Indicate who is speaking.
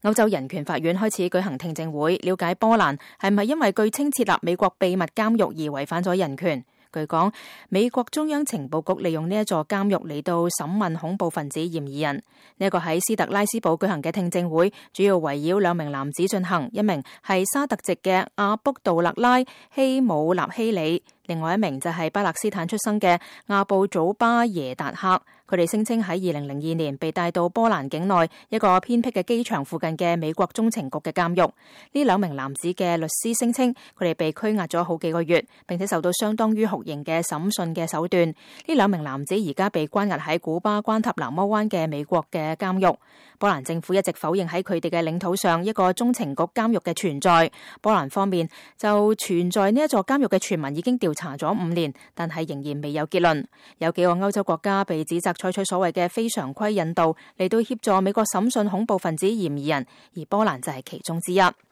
Speaker 1: 歐洲人權法院開始舉行聽證會，了解波蘭係唔係因為據稱設立美國秘密監獄而違反咗人權。據講，美國中央情報局利用呢一座監獄嚟到審問恐怖分子嫌疑人。呢一個喺斯特拉斯堡舉行嘅聽證會，主要圍繞兩名男子進行，一名係沙特籍嘅阿卜杜勒拉希姆納希里，另外一名就係巴勒斯坦出生嘅阿布祖巴耶達克。佢哋聲稱喺2002年被帶到波蘭境內一個偏僻嘅機場附近嘅美國中情局嘅監獄。呢兩名男子嘅律師聲稱，佢哋被拘押咗好幾個月，並且受到相當於酷刑嘅審訊嘅手段。呢兩名男子而家被關押喺古巴關塔那摩灣嘅美國嘅監獄。波蘭政府一直否認喺佢哋嘅領土上一個中情局監獄嘅存在。波蘭方面就存在呢一座監獄嘅傳聞已經調查咗5年，但係仍然未有結論。有幾個歐洲國家被指責採取所謂嘅非常規引渡嚟到協助美國審訊恐怖分子嫌疑人，而波蘭就係其中之一。